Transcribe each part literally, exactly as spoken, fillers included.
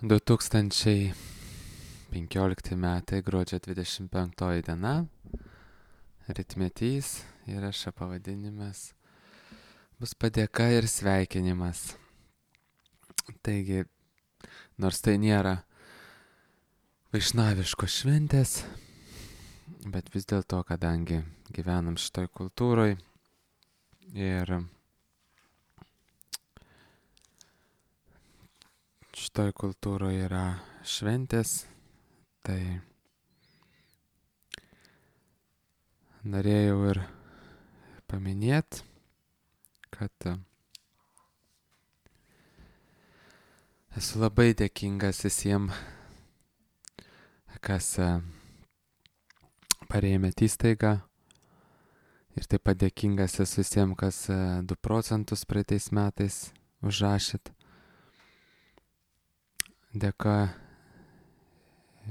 du tūkstančiai penkiolikti metai, gruodžio dvidešimt penktoji diena, rytmetys, įrašo pavadinimas bus padėka ir sveikinimas. Taigi, nors tai nėra vaišnaviškos šventės, bet vis dėlto, kadangi gyvenam šitoj kultūroj ir šitoj kultūroj yra šventės, tai norėjau ir paminėti, kad esu labai dėkingas visiems, kas parėmėt įstaigą, ir taip pat dėkingas esu visiems, kas du procentus praeitais metais užrašėt. Dėka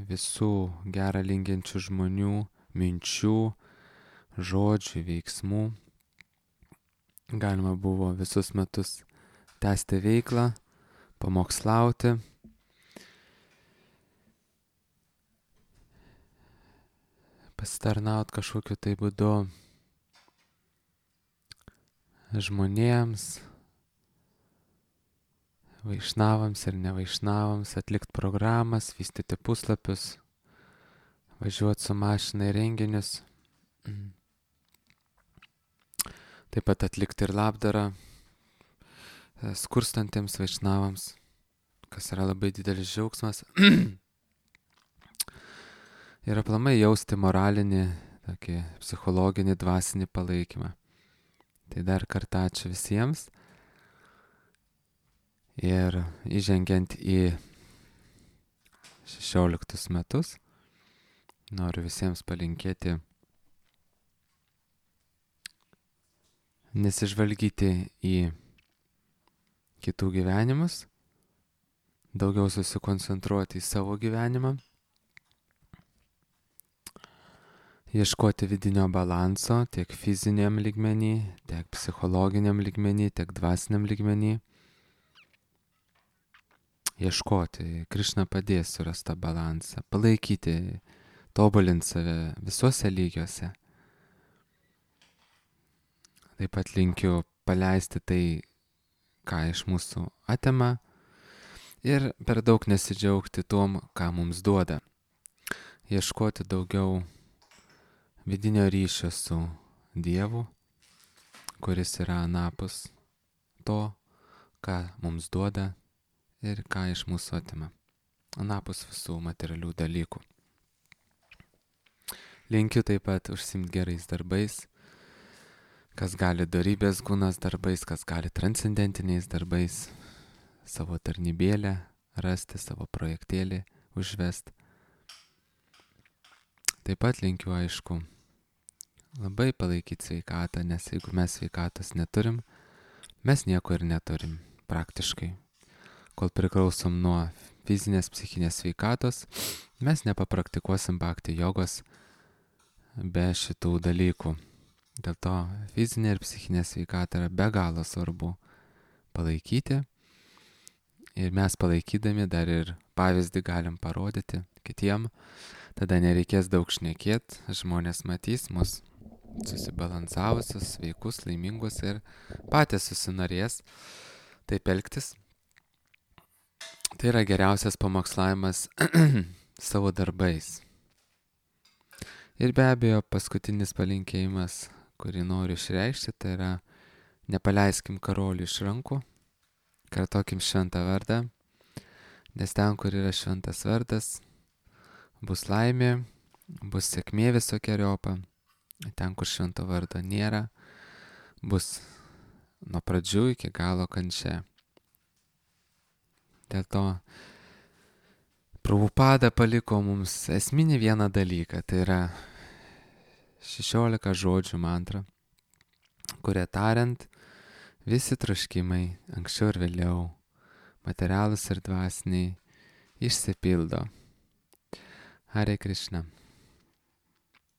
visų gerą linkinčių žmonių, minčių, žodžių, veiksmų. Galima buvo visus metus tęsti veiklą, pamokslauti. Pasitarnaut kažkokiu tai būdu žmonėms, vaišnavams ir nevaišnavams, atlikti programas, vystyti puslapius, važiuoti su mašina į renginius. Taip pat atlikti ir labdarą skurstantiems vaišnavams, kas yra labai didelis džiaugsmas. Ir aplamai jausti moralinį, tokį psichologinį, dvasinį palaikymą. Tai dar kartą ačiū visiems. Ir įžengiant į šešioliktus metus, noriu visiems palinkėti nesižvalgyti į kitų gyvenimus, daugiau susikoncentruoti į savo gyvenimą, ieškoti vidinio balanso tiek fiziniam lygmenį, tiek psichologiniam lygmenį, tiek dvasiniam lygmenį. Ieškoti, Krišna padės surasti tą balansą, palaikyti, tobulinti save visuose lygiuose. Taip pat linkiu paleisti tai, ką iš mūsų atima, ir per daug nesidžiaugti tuom, ką mums duoda. Ieškoti daugiau vidinio ryšio su Dievu, kuris yra anapus to, ką mums duoda ir ką iš mūsų atima, anapus visų materialių dalykų. Linkiu taip pat užsiimti gerais darbais, kas gali dorybės gunas darbais, kas gali transcendentiniais darbais, savo tarnybėlę rasti, savo projektėlį užvesti. Taip pat linkiu, aišku, labai palaikyti sveikatą, nes jeigu mes sveikatos neturim, mes nieko ir neturim praktiškai. Kol priklausom nuo fizinės, psichinės sveikatos, mes nepapraktikuosim bhakti jogos be šitų dalykų. Dėl to fizinė ir psichinė sveikata yra be galo svarbu palaikyti. Ir mes palaikydami dar ir pavyzdį galim parodyti kitiem. Tada nereikės daug šnekėt, žmonės matys mus susibalansavusius, sveikus, laimingus ir patys susinorės taip elgtis. Tai yra geriausias pamokslavimas savo darbais. Ir be abejo, paskutinis palinkėjimas, kurį noriu išreikšti, tai yra nepaleiskim karolių iš rankų, kartokim šventą vardą, nes ten, kur yra šventas vardas, bus laimė, bus sėkmė visokeriopą, ten, kur švento vardo nėra, bus nuo pradžių iki galo kančia. Dėl to Prabhupada paliko mums esminį vieną dalyką, tai yra šešiolika žodžių mantra, kuria tariant, visi troškimai anksčiau ir vėliau, materialūs ir dvasiniai, išsipildo. Hare Krishna.